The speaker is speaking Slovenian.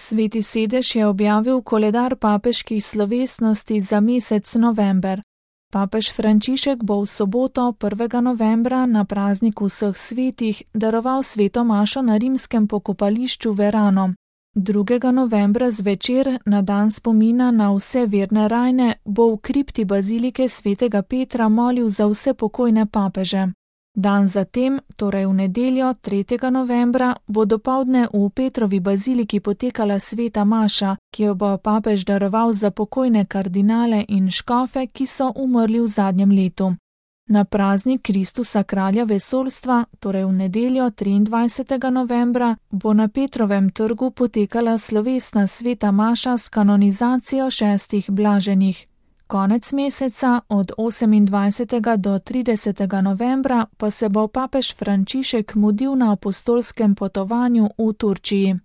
Sveti sedež je objavil koledar papeških slovesnosti za mesec november. Papež Frančišek bo v soboto 1. novembra na prazniku vseh svetih daroval sveto mašo na rimskem pokopališču Verano. 2. novembra zvečer, na dan spomina na vse verne rajne, bo v kripti bazilike svetega Petra molil za vse pokojne papeže. Dan zatem, torej v nedeljo 3. novembra, bo dopoldne v Petrovi baziliki potekala sveta maša, ki jo bo papež daroval za pokojne kardinale in škofe, ki so umrli v zadnjem letu. Na praznik Kristusa kralja vesoljstva, torej v nedeljo 23. novembra, bo na Petrovem trgu potekala slovesna sveta maša s kanonizacijo 6 blaženih. Konec meseca, od 28. do 30. novembra, pa se bo papež Frančišek mudil na apostolskem potovanju v Turčiji.